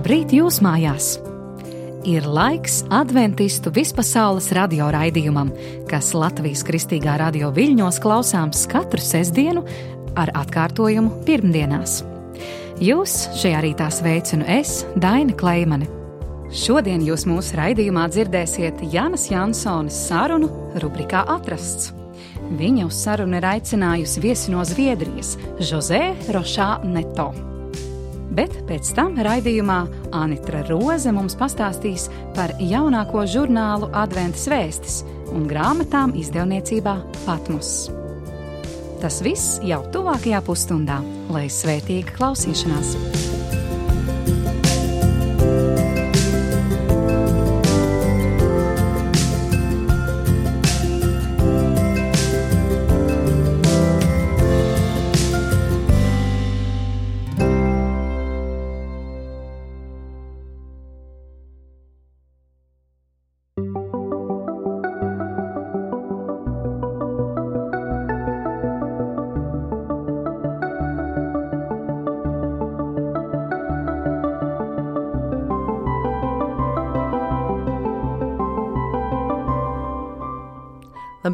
Labrīt jūs mājās! Ir laiks adventistu vispasaules radio raidījumam, kas Latvijas Kristīgā radio viļņos klausāms katru sestdienu ar atkārtojumu pirmdienās. Jūs šajā rītā sveicinu es, Daina Kleimane. Šodien jūs mūsu raidījumā dzirdēsiet Janas Jansones sarunu rubrikā Atrasts. Viņa uz sarunu ir aicinājusi viesi no Zviedrijas, José Rošā Neto. Bet pēc tam raidījumā Anitra Roze mums pastāstīs par jaunāko žurnālu Adventas vēstis un grāmatām izdevniecībā Patmos. Tas viss jau tuvākajā pusstundā, lai svētīga klausīšanās!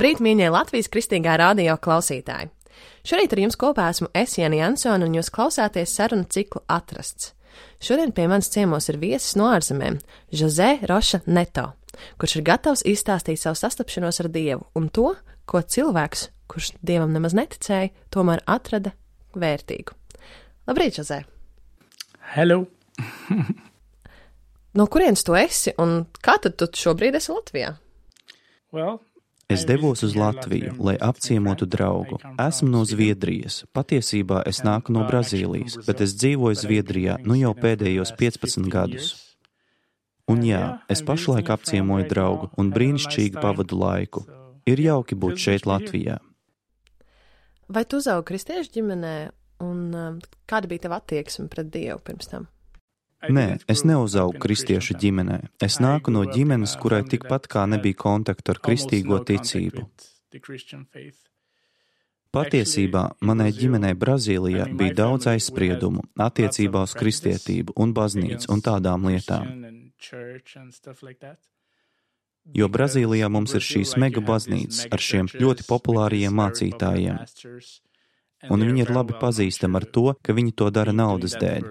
Labrīt, mīļie Latvijas Kristīgā radio klausītāji! Šorīt ar jums kopā esmu es, Jana Jansone, un jūs klausāties sarunu ciklu Atrasts. Šodien pie manis ciemos ir viesis no ārzemēm – José Roša Neto, kurš ir gatavs izstāstīt savu sastapšanos ar Dievu un to, ko cilvēks, kurš Dievam nemaz neticēja, tomēr atrada vērtīgu. Labrīt, José! Hello! No kurienes tu esi un kā tad tu šobrīd esi Latvijā? Es devos uz Latviju, lai apciemotu draugu. Esmu no Zviedrijas. Patiesībā es nāku no Brazīlijas, bet es dzīvoju Zviedrijā jau pēdējos 15 gadus. Un jā, es pašlaik apciemoju draugu un brīnišķīgi pavadu laiku. Ir jauki būt šeit Latvijā. Vai tu uzaugi kristiešu ģimenē un kāda bija tava attieksme pret Dievu pirms tam? Nē, es neuzaugu kristiešu ģimenē. Es nāku no ģimenes, kurai tikpat kā nebija kontaktu ar kristīgo ticību. Patiesībā manai ģimenei Brazīlijā bija daudz aizspriedumu attiecībā uz kristietību un baznīcu un tādām lietām. Jo Brazīlijā mums ir šīs mega baznīcas ar šiem ļoti populārajiem mācītājiem. Un viņi ir labi pazīstami ar to, ka viņi to dara naudas dēļ.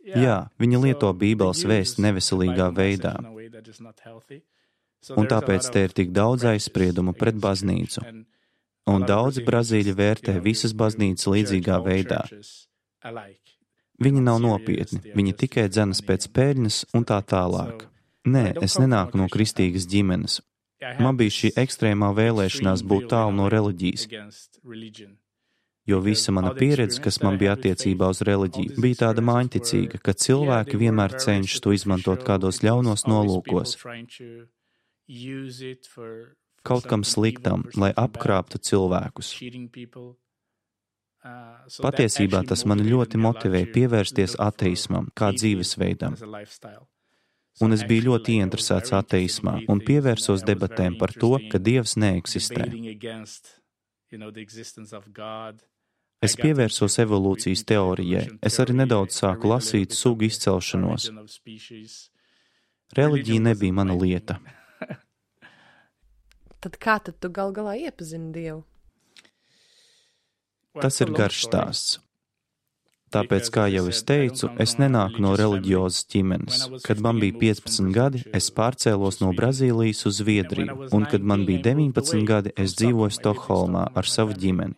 Jā, viņi lieto Bībeles vēsti neveselīgā veidā. Un tāpēc te ir tik daudz aizspriedumu pret baznīcu. Un daudzi brazīļi vērtē visas baznīcas līdzīgā veidā. Viņi nav nopietni, viņi tikai dzenas pēc peļņas un tā tālāk. Nē, es nenāku no kristīgas ģimenes. Man bija šī ekstrēmā vēlēšanās būt tālu no reliģijas. Jo visa mana pieredze, kas man bija attiecībā uz reliģiju, bija tāda māņticīga, ka cilvēki vienmēr cenšas to izmantot kādos ļaunos nolūkos, kaut kam sliktam, lai apkrāptu cilvēkus. Patiesībā tas mani ļoti motivēja pievērsties ateismam kā dzīvesveidam. Un es biju ļoti ieinteresēts ateismā un pievērsos debatēm par to, ka Dievs neeksistē. Es pievērsos evolūcijas teorijai. Es arī nedaudz sāku lasīt sugu izcelšanos. Reliģija nebija mana lieta. Tad kā tad tu gal galā iepazini Dievu? Tas ir garš stāsts. Tāpēc, kā jau es teicu, es nenāku no reliģiozas ģimenes. Kad man bija 15 gadi, es pārcēlos no Brazīlijas uz Zviedriju, un kad man bija 19 gadi, es dzīvoju Stokholmā ar savu ģimeni.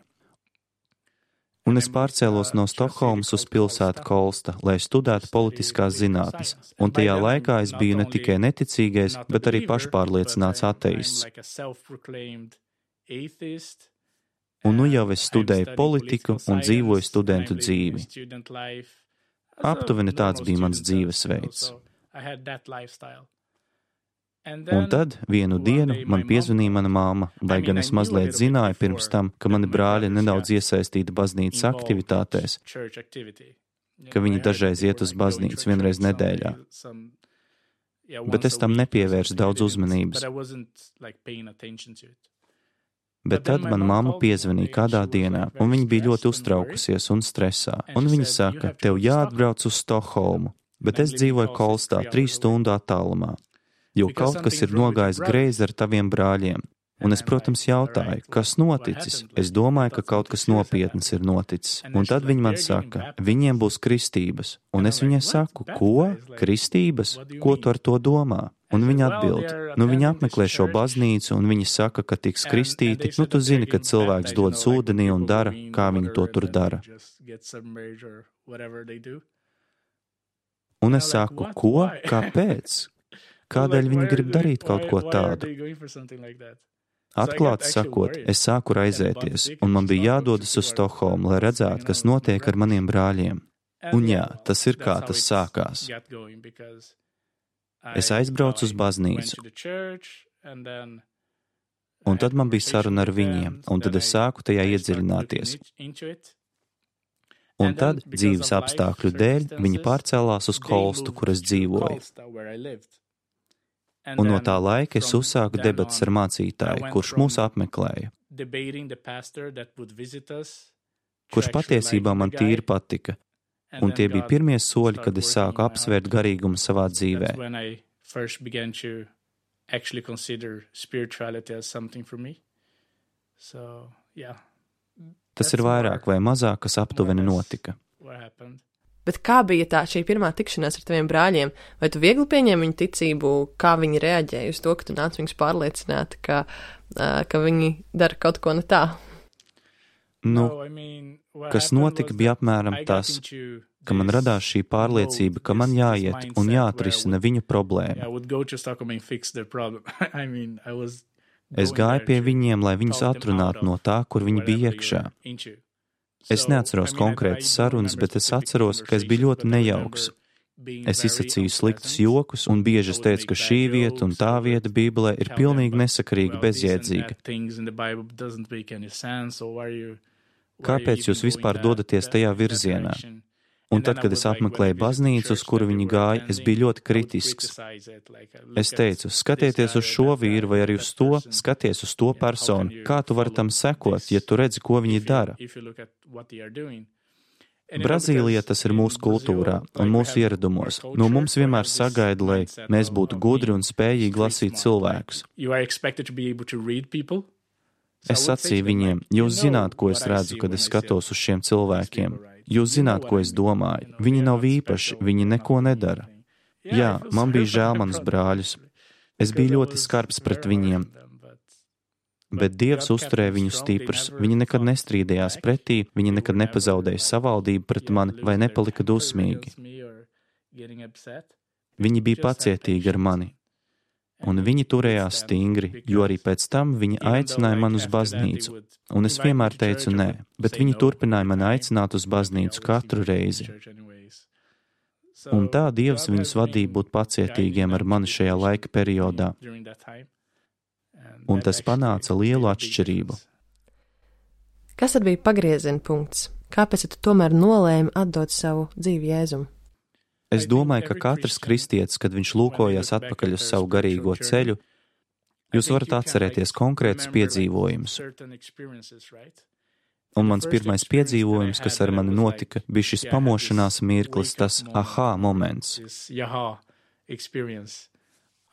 Un es pārcēlos no Stokholmas uz pilsētu Kolsta, lai studētu politiskās zinātnes, un tajā laikā es biju ne tikai neticīgais, bet arī pašpārliecināts ateists. Un jau es studēju politiku un dzīvoju studentu dzīvi. Aptuveni tāds bija mans dzīvesveids. Un tad vienu dienu man piezvanīja mana māma, lai gan es mazliet zināju pirms tam, ka mani brāļi nedaudz iesaistīti baznīcas aktivitātēs, ka viņi dažreiz iet uz baznīcu vienreiz nedēļā. Bet es tam nepievērsu daudz uzmanības. Bet tad man mamma piezvanīja kādā dienā, un viņa bija ļoti uztraukusies un stresā. Un viņa saka, tev jāatbrauc uz Stokholmu, bet es dzīvoju Kolstā 3 stundu attālumā, jo kaut kas ir nogājis greizi ar taviem brāļiem. Un es, protams, jautāju, kas noticis? Es domāju, ka kaut kas nopietnas ir noticis. Un tad viņa man saka, viņiem būs kristības. Un es viņai saku, ko? Kristības? Ko tu ar to domā? Un viņa atbild, viņa apmeklē šo baznīcu, un viņa saka, ka tiks kristīti. Tu zini, ka cilvēks dodas ūdenī un dara, kā viņi to tur dara. Un es saku, ko? Kāpēc? Kādēļ viņi grib darīt kaut ko tādu? Atklāti sakot, es sāku raizēties, un man bija jādodas uz Stokholmu, lai redzētu, kas notiek ar maniem brāļiem. Un jā, tas ir kā tas sākās. Es aizbraucu uz baznīcu, un tad man bija saruna ar viņiem, un tad es sāku tajā iedziļināties. Un tad, dzīves apstākļu dēļ, viņi pārcēlās uz Kolstu, kur es dzīvoju. Un no tā laika es uzsāku debatas ar mācītāju, kurš mūs apmeklēja, kurš patiesībā man tīri patika, un tie bija pirmie soļi, kad es sāku apsvērt garīgumu savā dzīvē. Tas ir vairāk vai mazāk, kas aptuveni notika. Bet kā bija šī pirmā tikšanās ar taviem brāļiem? Vai tu viegli pieņēmi viņu ticību, kā viņi reaģēja uz to, ka tu nāc viņus pārliecināt, ka viņi dara kaut ko ne tā? Kas notika, bija apmēram tas, ka man radās šī pārliecība, ka man jāiet un jāatrisina viņu problēma. Es gāju pie viņiem, lai viņus atrunātu no tā, kur viņi bija iekšā. Es neatceros konkrētas sarunas, bet es atceros, ka es biju ļoti nejauks. Es izsacīju sliktus jokus un bieži es teicu, ka šī vieta un tā vieta Bībelē ir pilnīgi nesakarīga, bezjēdzīga. Kāpēc jūs vispār dodaties tajā virzienā? Un tad, kad es apmeklēju baznīcu, uz kuru viņi gāja, es biju ļoti kritisks. Es teicu, skatieties uz šo vīru vai arī uz to, skaties uz to personu. Kā tu vari tam sekot, ja tu redzi, ko viņi dara? Brazīlijā tas ir mūsu kultūrā un mūsu ieradumos. No mums vienmēr sagaida, lai mēs būtu gudri un spējīgi lasīt cilvēkus. Es sacīju viņiem, jūs zināt, ko es redzu, kad es skatos uz šiem cilvēkiem. Jūs zināt, ko es domāju. Viņi nav īpaši, viņi neko nedara. Jā, man bija žēl manus brāļus. Es biju ļoti skarbs pret viņiem. Bet Dievs uzturēja viņus stiprus. Viņi nekad nestrīdējās pretī, viņi nekad nepazaudēja savaldību pret mani vai nepalika dusmīgi. Viņi bija pacietīgi ar mani. Un viņi turējās stingri, jo arī pēc tam viņi aicināja man uz baznīcu. Un es vienmēr teicu nē, bet viņi turpināja mani aicināt uz baznīcu katru reizi. Un tā Dievs viņus vadīja būt pacietīgiem ar mani šajā laika periodā. Un tas panāca lielu atšķirību. Kas tad bija pagrieziena punkts? Kāpēc tu tomēr nolēmi atdot savu dzīvi Jēzum? Es domāju, ka katrs kristietis, kad viņš lūkojas atpakaļ uz savu garīgo ceļu, jūs varat atcerēties konkrētus piedzīvojumus. Un mans pirmais piedzīvojums, kas ar mani notika, bija šis pamošanās mirklis, tas aha moments.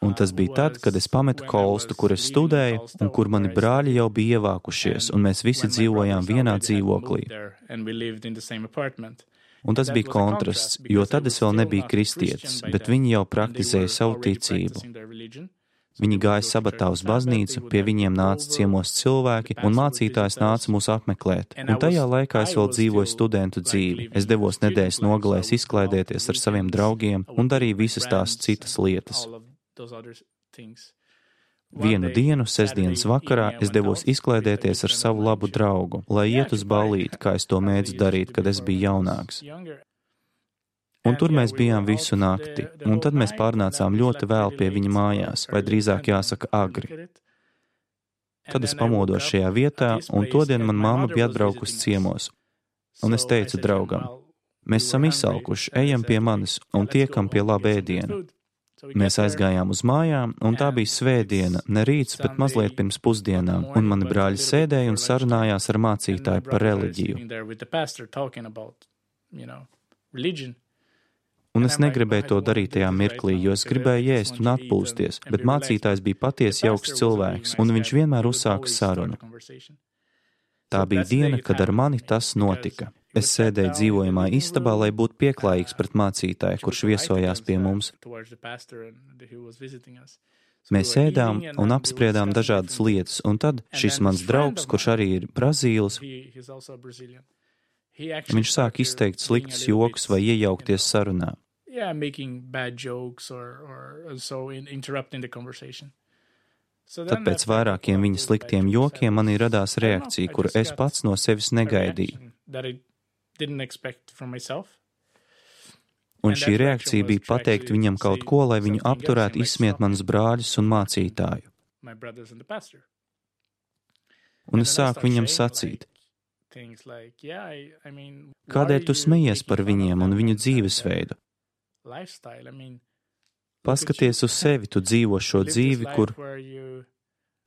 Un tas bija tad, kad es pametu Kolstu, kur es studēju, un kur mani brāļi jau bija ievākušies, un mēs visi dzīvojām vienā dzīvoklī. Un tas bija kontrasts, jo tad es vēl nebiju kristietis, bet viņi jau praktizēja savu ticību. Viņi gāja sabatā uz baznīcu, pie viņiem nāca ciemos cilvēki, un mācītājs nāca mūs apmeklēt. Un tajā laikā es vēl dzīvoju studentu dzīvi. Es devos nedēļas nogalēs izklaidēties ar saviem draugiem un darīju visas tās citas lietas. Vienu dienu, sestdienas vakarā, es devos izklaidēties ar savu labu draugu, lai iet uz ballīti, kā es to mēdzu darīt, kad es biju jaunāks. Un tur mēs bijām visu nakti, un tad mēs pārnācām ļoti vēl pie viņa mājās, vai drīzāk jāsaka agri. Tad es pamodos šajā vietā, un todien man mamma bija atbraukusi ciemos. Un es teicu draugam, mēs esam izsalkuši, ejam pie manis un tiekam pie laba ēdiena. Mēs aizgājām uz mājām, un tā bija svētdiena, ne rīts, bet mazliet pirms pusdienām, un mani brāļi sēdēja un sarunājās ar mācītāju par reliģiju. Un es negribēju to darīt tajā mirklī, jo es gribēju ēst un atpūsties, bet mācītājs bija patiesi jauks cilvēks, un viņš vienmēr uzsāka sarunu. Tā bija diena, kad ar mani tas notika. Es sēdēju dzīvojamā istabā, lai būtu pieklājīgs pret mācītāju, kurš viesojās pie mums. Mēs ēdām un apspriedām dažādas lietas, un tad šis mans draugs, kurš arī ir Brazīlis, viņš sāk izteikt sliktus jokus vai iejaukties sarunā. Tad pēc vairākiem viņa sliktiem jokiem manī radās reakcija, kuru es pats no sevis negaidīju. Un šī reakcija bija pateikt viņam kaut ko, lai viņu apturētu izsmiet manus brāļus un mācītāju. Un es sāku viņam sacīt, kādēļ tu smejies par viņiem un viņu dzīvesveidu? Paskaties uz sevi, tu dzīvo šo dzīvi, kur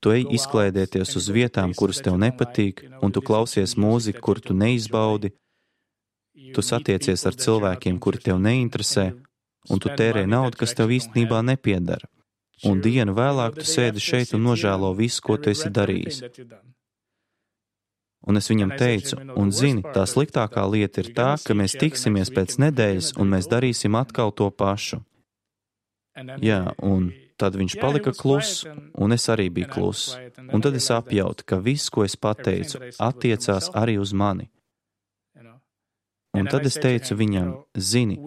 tu ej izklaidēties uz vietām, kuras tev nepatīk, un tu klausies mūziku, kur tu neizbaudi, tu satiecies ar cilvēkiem, kuri tev neinteresē, un tu tērē naudu, kas tev īstenībā nepiedara. Un dienu vēlāk tu sēdi šeit un nožēlo visu, ko tu esi darījis. Un es viņam teicu, un zini, tā sliktākā lieta ir tā, ka mēs tiksimies pēc nedēļas, un mēs darīsim atkal to pašu. Jā, un tad viņš palika kluss, un es arī biju kluss. Un tad es apjautu, ka viss, ko es pateicu, attiecās arī uz mani. Un tad es teicu viņam, zini,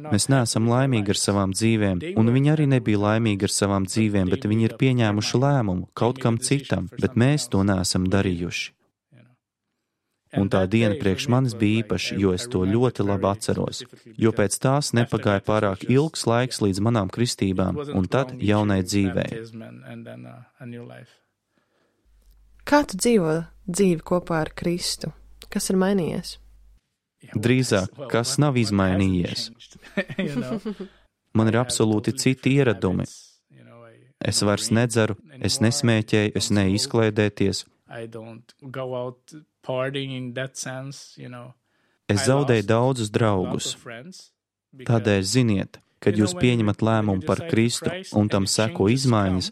mēs neesam laimīgi ar savām dzīvēm, un viņi arī nebija laimīgi ar savām dzīvēm, bet viņi ir pieņēmuši lēmumu kaut kam citam, bet mēs to neesam darījuši. Un tā diena priekš manis bija īpaša, jo es to ļoti labi atceros, jo pēc tās nepagāja pārāk ilgs laiks līdz manām kristībām, un tad jaunai dzīvei. Kā tu dzīvo dzīvi kopā ar Kristu? Kas ir mainījies? Drīzāk, kas nav izmainījies. Man ir absolūti citi ieradumi. Es vairs nedzeru, es nesmēķēju, es neizklaidēties. Es zaudēju daudzus draugus. Tādēļ ziniet, kad jūs pieņemat lēmumu par Kristu un tam seko izmaiņas,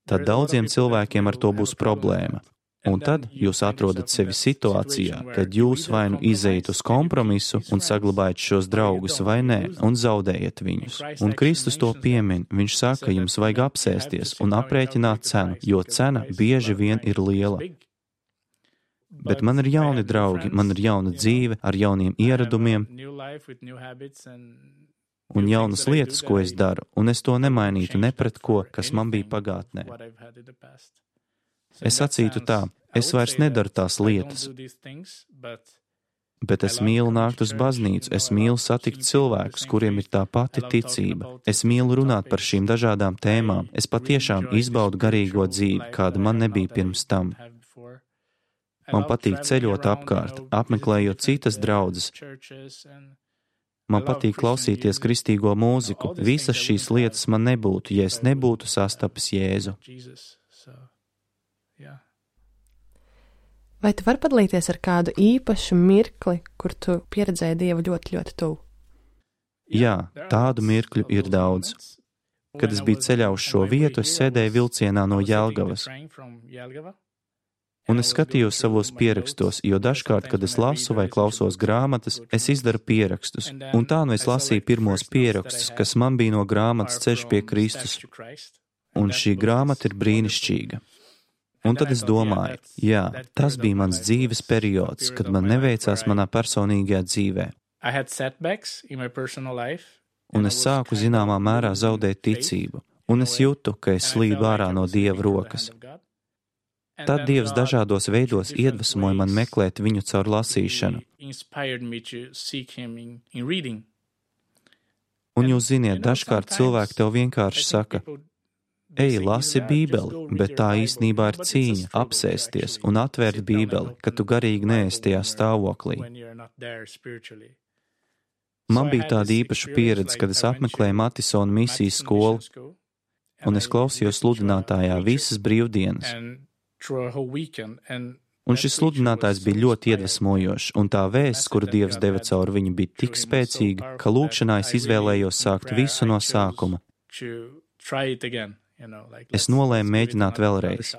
tad daudziem cilvēkiem ar to būs problēma. Un tad jūs atrodat sevi situācijā, kad jūs vai nu izejat uz kompromisu un saglabājat šos draugus vai nē, un zaudējat viņus. Un Kristus to piemin, viņš saka, jums vajag apsēsties un aprēķināt cenu, jo cena bieži vien ir liela. Bet man ir jauni draugi, man ir jauna dzīve ar jauniem ieradumiem un jaunas lietas, ko es daru, un es to nemainītu ne pret ko, kas man bija pagātnē. Es sacītu tā, es vairs nedaru tās lietas, bet es mīlu nākt uz baznīcu, es mīlu satikt cilvēkus, kuriem ir tā pati ticība. Es mīlu runāt par šīm dažādām tēmām. Es patiešām izbaudu garīgo dzīvi, kāda man nebija pirms tam. Man patīk ceļot apkārt, apmeklējot citas draudzes. Man patīk klausīties kristīgo mūziku. Visas šīs lietas man nebūtu, ja es nebūtu sastapis Jēzu. Vai tu vari padalīties ar kādu īpašu mirkli, kur tu pieredzēji Dievu ļoti, ļoti tuvu? Jā, tādu mirkļu ir daudz. Kad es biju ceļā uz šo vietu, es sēdēju vilcienā no Jelgavas. Un es skatījos savos pierakstos, jo dažkārt, kad es lasu vai klausos grāmatas, es izdaru pierakstus. Un tā nu es lasīju pirmos pierakstus, kas man bija no grāmatas Ceļš pie Kristus. Un šī grāmata ir brīnišķīga. Un tad es domāju, jā, tas bija mans dzīves periods, kad man neveicās manā personīgajā dzīvē. Un es sāku zināmā mērā zaudēt ticību, un es jūtu, ka es slīdu ārā no Dieva rokas. Tad Dievs dažādos veidos iedvesmoja man meklēt viņu caur lasīšanu. Un jūs ziniet, dažkārt cilvēki tev vienkārši saka, ej, lasi Bībeli, bet tā īstenībā ir cīņa, apsēsties un atvērt Bībeli, ka tu garīgi neesi tajā stāvoklī. Man bija tāda īpaša pieredze, kad es apmeklēju Matisona misijas skolu, un es klausījos sludinātājā visas brīvdienas. Un šis sludinātājs bija ļoti iedvesmojošs, un tā vēsts, kuru Dievs deva caur viņu, bija tik spēcīga, ka lūkšanā es izvēlējos sākt visu no sākuma. Es nolēmu mēģināt vēlreiz.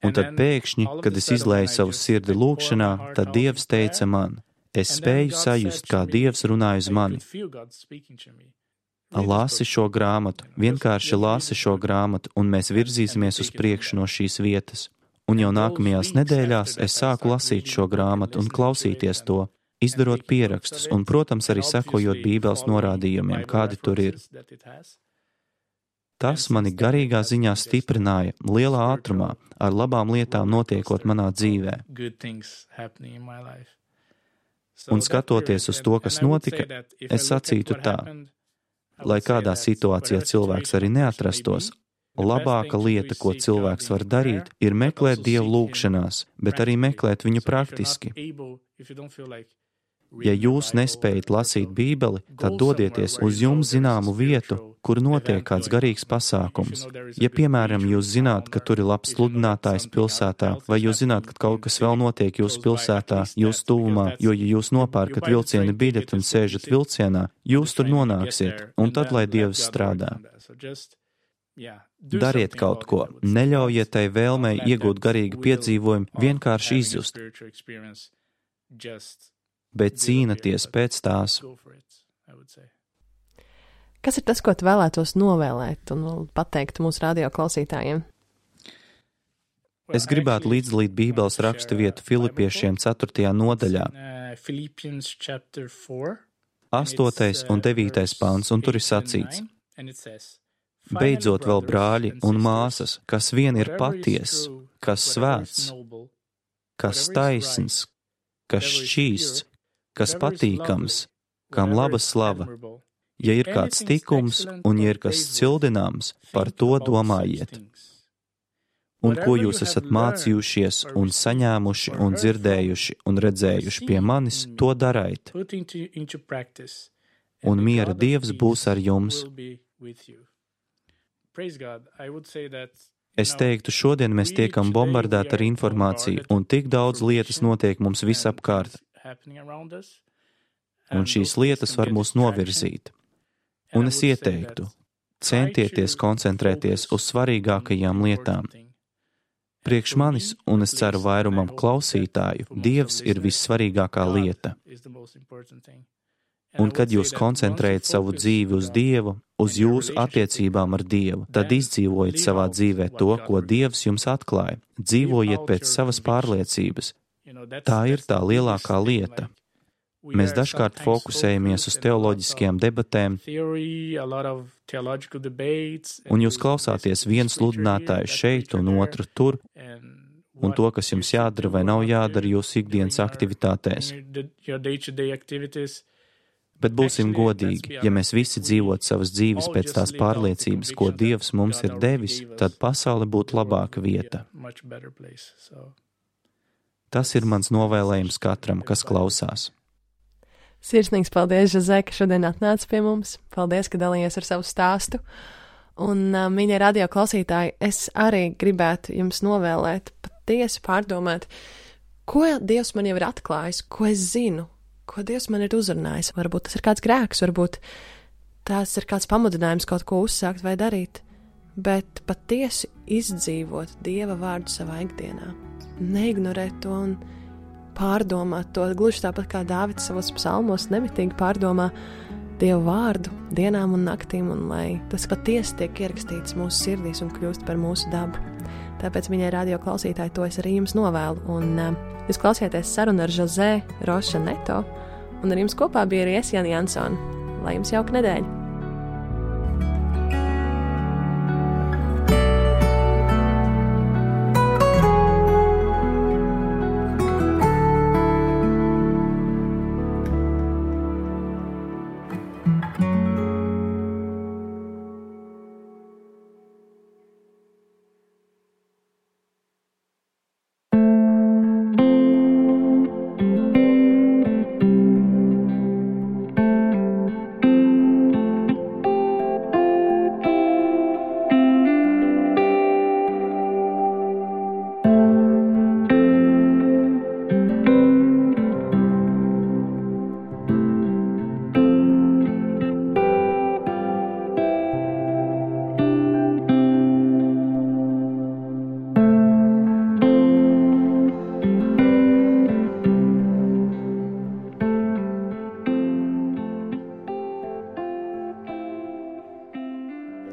Un tad pēkšņi, kad es izlēju savu sirdi lūkšanā, tad Dievs teica man, es spēju sajust, kā Dievs runāja uz mani. Lasi šo grāmatu, vienkārši lasi šo grāmatu, un mēs virzīsimies uz priekšu no šīs vietas. Un jau nākamajās nedēļās es sāku lasīt šo grāmatu un klausīties to, izdarot pierakstus un, protams, arī sekojot Bībeles norādījumiem, kādi tur ir. Tas mani garīgā ziņā stiprināja lielā ātrumā, ar labām lietām notiekot manā dzīvē. Un skatoties uz to, kas notika, es sacītu tā, lai kādā situācijā cilvēks arī neatrastos, labāka lieta, ko cilvēks var darīt, ir meklēt Dievu lūgšanās, bet arī meklēt viņu praktiski. Ja jūs nespējat lasīt Bībeli, tad dodieties uz jums zināmu vietu, kur notiek kāds garīgs pasākums. Ja, piemēram, jūs zināt, ka tur ir labs sludinātājs pilsētā, vai jūs zināt, ka kaut kas vēl notiek jūsu pilsētā, jūsu tuvumā, jo, ja jūs nopērkat vilciena biļeti un sēžat vilcienā, jūs tur nonāksiet, un tad, lai Dievs strādā. Dariet kaut ko, neļaujiet tai vēlmei iegūt garīgu piedzīvojumu, vienkārši izzust, bet cīnaties pēc tās. Kas ir tas, ko tu vēlētos novēlēt un pateikt mūsu radio klausītājiem? Es gribētu līdzdalīt Bībeles rakstu vietu Filipiešiem 4. nodaļā, 8. un 9. pants, un tur ir sacīts: Beidzot vēl brāļi un māsas, kas vien ir patiess, kas svēts, kas taisns, kas šķīsts, kas patīkams, kam laba slava. Ja ir kāds tikums un ja ir kas cildināms, par to domājiet. Un ko jūs esat mācījušies un saņēmuši un dzirdējuši un redzējuši pie manis, to daraiet. Un miera Dievs būs ar jums. Es teiktu, šodien mēs tiekam bombardēti ar informāciju, un tik daudz lietas notiek mums visapkārt. Un šīs lietas var mūs novirzīt. Un es ieteiktu, centieties koncentrēties uz svarīgākajām lietām. Priekš manis, un es ceru vairumam klausītāju, Dievs ir vissvarīgākā lieta. Un kad jūs koncentrējat savu dzīvi uz Dievu, uz jūsu attiecībām ar Dievu, tad izdzīvojiet savā dzīvē to, ko Dievs jums atklāja. Dzīvojiet pēc savas pārliecības. Tā ir tā lielākā lieta. Mēs dažkārt fokusējamies uz teoloģiskajām debatēm, un jūs klausāties vienu sludinātāju šeit un otru tur, un to, kas jums jādara vai nav jādara jūsu ikdienas aktivitātēs. Bet būsim godīgi, ja mēs visi dzīvotu savas dzīves pēc tās pārliecības, ko Dievs mums ir devis, tad pasaule būtu labāka vieta. Tas ir mans novēlējums katram, kas klausās. Sirsnīgs paldies, Žozē, ka šodien atnāci pie mums. Paldies, ka dalījies ar savu stāstu. Un, mīļie radio klausītāji, es arī gribētu jums novēlēt patiesi pārdomāt, ko Dievs man jau ir atklājis, ko es zinu, ko Dievs man ir uzrunājis. Varbūt tas ir kāds grēks, varbūt tas ir kāds pamudinājums kaut ko uzsākt vai darīt, bet patiesi izdzīvot Dieva vārdu savā ikdienā. Neignorēt to un pārdomāt to, gluži tāpat kā Dāvids savos psalmos nemitīgi pārdomā Dieva vārdu dienām un naktīm, un lai tas patiesi tiek ierakstīts mūsu sirdīs un kļūst par mūsu dabu. Tāpēc, mīļie radio klausītāji, to es arī jums novēlu. Un jūs klausieties sarunu ar Žozē Roša Neto, un ar jums kopā bija arī Esjana Jansona. Lai jums jauka nedēļa!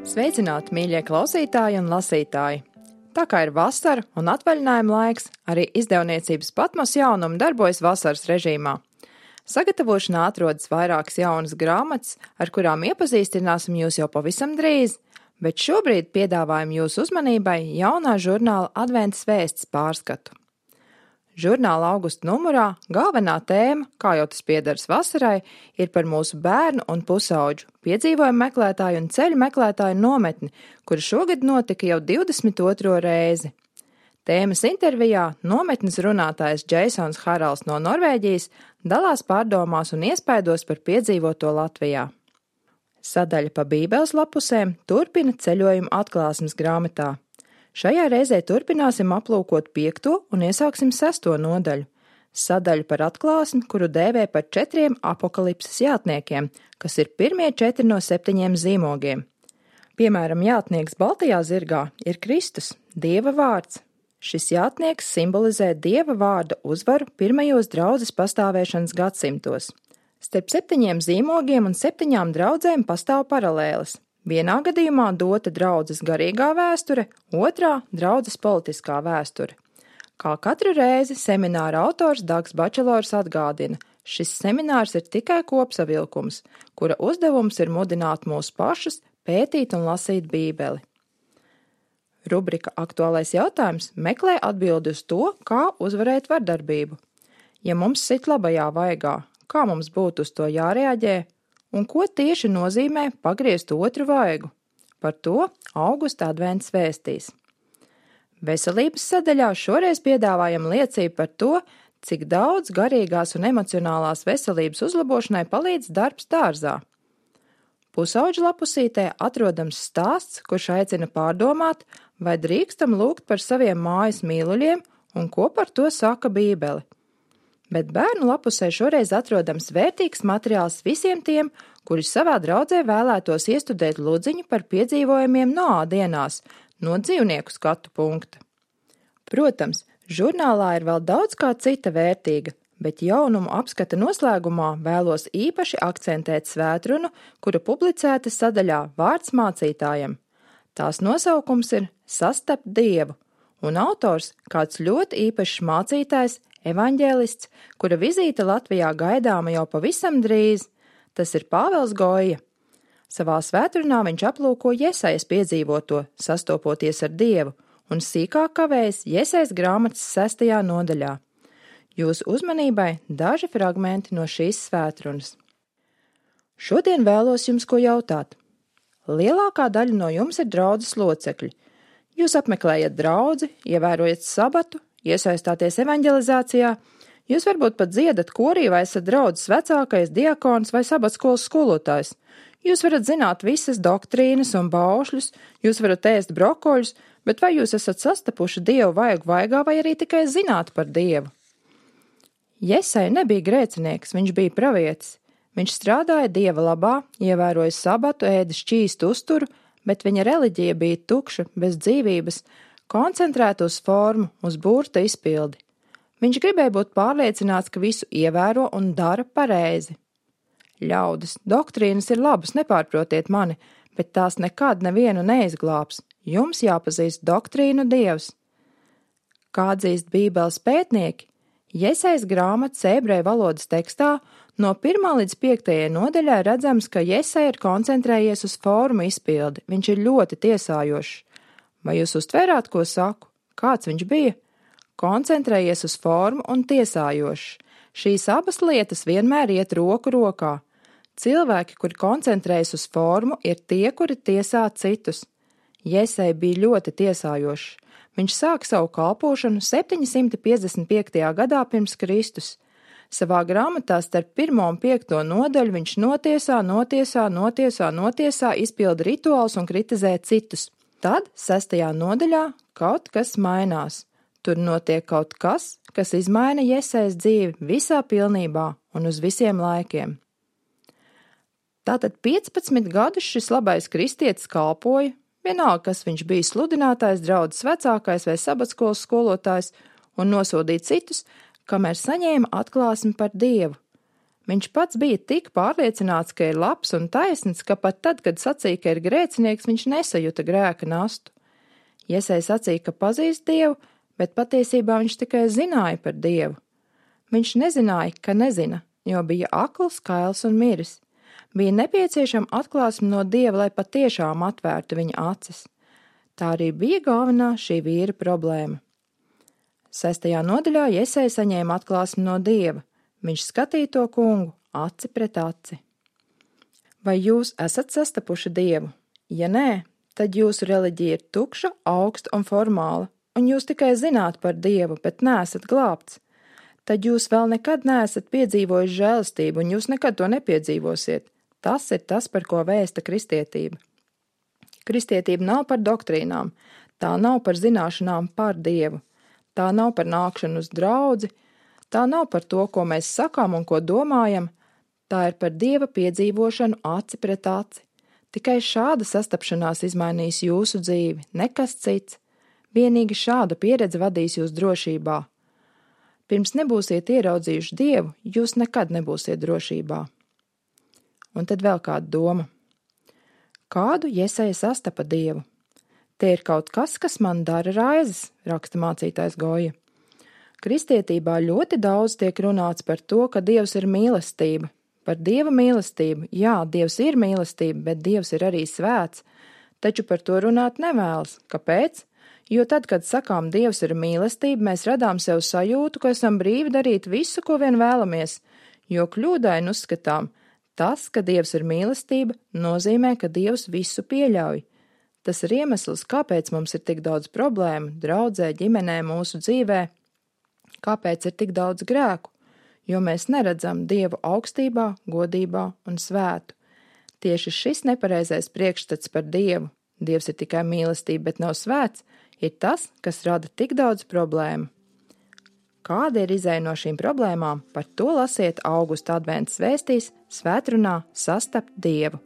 Sveicināti, mīļie klausītāji un lasītāji! Tā kā ir vasara un atvaļinājuma laiks, arī izdevniecības Patmos jaunumi darbojas vasaras režīmā. Sagatavošanā atrodas vairākas jaunas grāmatas, ar kurām iepazīstināsim jūs jau pavisam drīz, bet šobrīd piedāvājam jūsu uzmanībai jaunā žurnāla Adventas vēsts pārskatu. Žurnāla augusta numurā galvenā tēma, kā jau tas piederas vasarai, ir par mūsu bērnu un pusauģu, piedzīvojumu meklētāju un ceļu meklētāju nometni, kura šogad notika jau 22. reizi. Tēmas intervijā nometnes runātājs Džeisons Haralds no Norvēģijas dalās pārdomās un iespaidos par piedzīvoto Latvijā. Sadaļa pa Bībeles lapusēm turpina ceļojumu atklāsmes grāmatā. Šajā reizē turpināsim aplūkot 5. un iesāksim 6. nodaļu. Sadaļu par atklāsmi, kuru dēvē par 4 apokalipses jātniekiem, kas ir pirmie 4 no 7 zīmogiem. Piemēram, jātnieks baltajā zirgā ir Kristus, Dieva vārds. Šis jātnieks simbolizē Dieva vārda uzvaru pirmajos draudzes pastāvēšanas gadsimtos. Starp 7 zīmogiem un 7 draudzēm pastāv paralēles. Vienā gadījumā dota draudzes garīgā vēsture, otrā draudzes politiskā vēsture. Kā katru reizi semināra autors Dags Bačelors atgādina, šis seminārs ir tikai kopsavilkums, kura uzdevums ir mudināt mūs pašus pētīt un lasīt Bībeli. Rubrika Aktuālais jautājums meklē atbildi uz to, kā uzvarēt vardarbību. Ja mums sit labajā vaigā, kā mums būtu uz to jārēģē? Un ko tieši nozīmē pagriezt otru vaigu? Par to augusta advents vēstīs. Veselības sadaļā šoreiz piedāvājam liecību par to, cik daudz garīgās un emocionālās veselības uzlabošanai palīdz darbs dārzā. Pusauģu lapusītē atrodams stāsts, kurš aicina pārdomāt, vai drīkstam lūgt par saviem mājas mīluļiem un ko par to saka Bībele. Bet bērnu lapusē šoreiz atrodams vērtīgs materiāls visiem tiem, kuri savā draudzē vēlētos iestudēt ludziņu par piedzīvojumiem Noā dienās, no dzīvnieku skatu punkta. Protams, žurnālā ir vēl daudz kā cita vērtīga, bet jaunumu apskata noslēgumā vēlos īpaši akcentēt svētrunu, kura publicēta sadaļā Vārds mācītājam. Tās nosaukums ir Sastapt Dievu, un autors kāds ļoti īpašs mācītājs, evaņģēlists, kura vizīte Latvijā gaidāma jau pavisam drīz, tas ir Pāvels Goja. Savā svētrunā viņš aplūko Jesajas piedzīvoto, sastopoties ar Dievu, un sīkāk kavējas Jesajas grāmatas 6. nodaļā. Jūsu uzmanībai daži fragmenti no šīs svētrunas. Šodien vēlos jums ko jautāt. Lielākā daļa no jums ir draudzes locekļi. Jūs apmeklējat draudzi, ievērojat sabatu, iesaistāties evaņģelizācijā, jūs varbūt pat dziedat korī vai esat draudzes vecākais, diakons vai sabatskolas skolotājs. Jūs varat zināt visas doktrīnas un baušļus, jūs varat ēst brokoļus, bet vai jūs esat sastapuši Dievu vaigu vaigā vai arī tikai zināt par Dievu? Jesai nebija grēcinieks, viņš bija pravietis. Viņš strādāja Dieva labā, ievēroja sabatu, ēda šķīstu uzturu, bet viņa reliģija bija tukša, bez dzīvības, koncentrēta uz formu, uz burta izpildi. Viņš gribēja būt pārliecināts, ka visu ievēro un dara pareizi. Ļaudis, doktrīnas ir labas, nepārprotiet mani, bet tās nekad nevienu neizglābs. Jums jāpazīst doktrīnu Dievs. Kā atzīst Bībeles pētnieki, Jesajas grāmatas ebreju valodas tekstā no 1. līdz 5. nodaļā redzams, ka Jesaja ir koncentrējies uz formu izpildi, viņš ir ļoti tiesājošs. Vai jūs uztvērāt, ko saku? Kāds viņš bija? Koncentrējies uz formu un tiesājošs. Šīs abas lietas vienmēr iet roku rokā. Cilvēki, kuri koncentrējas uz formu, ir tie, kuri tiesā citus. Jesai bija ļoti tiesājošs. Viņš sāka savu kalpošanu 755. gadā pirms Kristus. Savā grāmatā starp 1. un 5. nodaļu viņš notiesā, izpilda rituālus un kritizē citus. Tad 6. nodaļā kaut kas mainās. Tur notiek kaut kas, kas izmaina Jesajas dzīvi visā pilnībā un uz visiem laikiem. Tātad 15 gadus šis labais kristietis kalpoja, vienalga, kas viņš bija sludinātājs, draudzes vecākais vai sabatskolas skolotājs, un nosodīja citus, kamēr saņēma atklāsmi par Dievu. Viņš pats bija tik pārliecināts, ka ir labs un taisns, ka pat tad, kad sacīja, ka ir grēcinieks, viņš nesajuta grēka nastu. Jesai sacīja, ka pazīst Dievu, bet patiesībā viņš tikai zināja par Dievu. Viņš nezināja, ka nezina, jo bija akls, kails un miris. Bija nepieciešama atklāsme no Dieva, lai patiešām atvērtu viņa acis. Tā arī bija galvenā šī vīra problēma. 6. nodaļā Jesai saņēma atklāsmi no Dieva. Viņš skatīja to kungu aci pret aci. Vai jūs esat sastapuši Dievu? Ja nē, tad jūsu reliģija ir tukša, augsta un formāla, un jūs tikai zināt par Dievu, bet neesat glābts. Tad jūs vēl nekad neesat piedzīvojuši žēlastību, un jūs nekad to nepiedzīvosiet. Tas ir tas, par ko vēsta kristietība. Kristietība nav par doktrīnām, tā nav par zināšanām par Dievu, tā nav par nākšanu uz draudzi, tā nav par to, ko mēs sakām un ko domājam, tā ir par Dieva piedzīvošanu aci pret aci. Tikai šāda sastapšanās izmainīs jūsu dzīvi, nekas cits. Vienīgi šāda pieredze vadīs jūs drošībā. Pirms nebūsiet ieraudzījuši Dievu, jūs nekad nebūsiet drošībā. Un tad vēl kāda doma. Kādu Jesaja sastapa Dievu? Te ir kaut kas, kas man dara raizes, raksta mācītājs Goja. Kristietībā ļoti daudz tiek runāts par to, ka Dievs ir mīlestība. Par Dieva mīlestību, jā, Dievs ir mīlestība, bet Dievs ir arī svēts, taču par to runāt nevēlas. Kāpēc? Jo tad, kad sakām Dievs ir mīlestība, mēs radām sev sajūtu, ka esam brīvi darīt visu, ko vien vēlamies, jo kļūdaini uzskatām, tas, ka Dievs ir mīlestība, nozīmē, ka Dievs visu pieļauj. Tas ir iemesls, kāpēc mums ir tik daudz problēmu, draudzē, ģimenē, mūsu dzīvē, kāpēc ir tik daudz grēku. Jo mēs neredzam Dievu augstībā, godībā un svētu. Tieši šis nepareizais priekšstats par Dievu, Dievs ir tikai mīlestība, bet nav svēts, ir tas, kas rada tik daudz problēmu. Kāda ir izeja no šīm problēmām, par to lasiet Augusta adventas vēstīs Svētrunā Sastapt Dievu.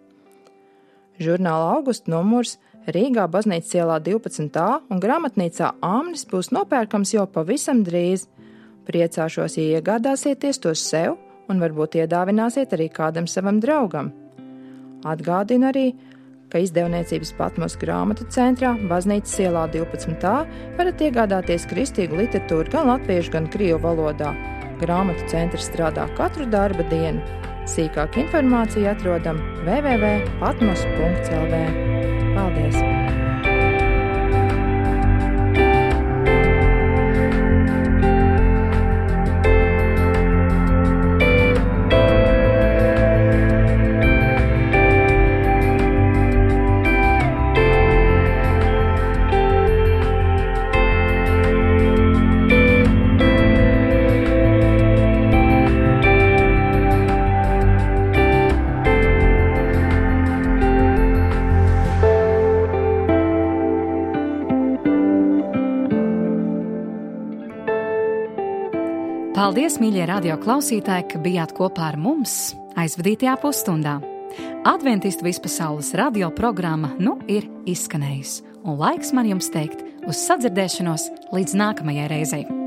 Žurnāla Augusta numurs Rīgā Baznīcas ielā 12a un grāmatnīcā Āmnis būs nopērkams jau pavisam drīz. Priecāšos, ja iegādāsieties tos sev un varbūt iedāvināsiet arī kādam savam draugam. Atgādinu arī, ka izdevniecības Patmos grāmatu centrā Baznīcas ielā 12a varat iegādāties kristīgu literatūru gan latviešu, gan krievu valodā. Grāmatu centrs strādā katru darba dienu. Sīkāk informāciju atrodam www.patmos.lv. Paldies! Paldies, mīļie radio klausītāji, ka bijāt kopā ar mums aizvadītajā pusstundā. Adventistu vispasaules radio programma ir izskanējusi, un laiks man jums teikt uz sadzirdēšanos līdz nākamajai reizei.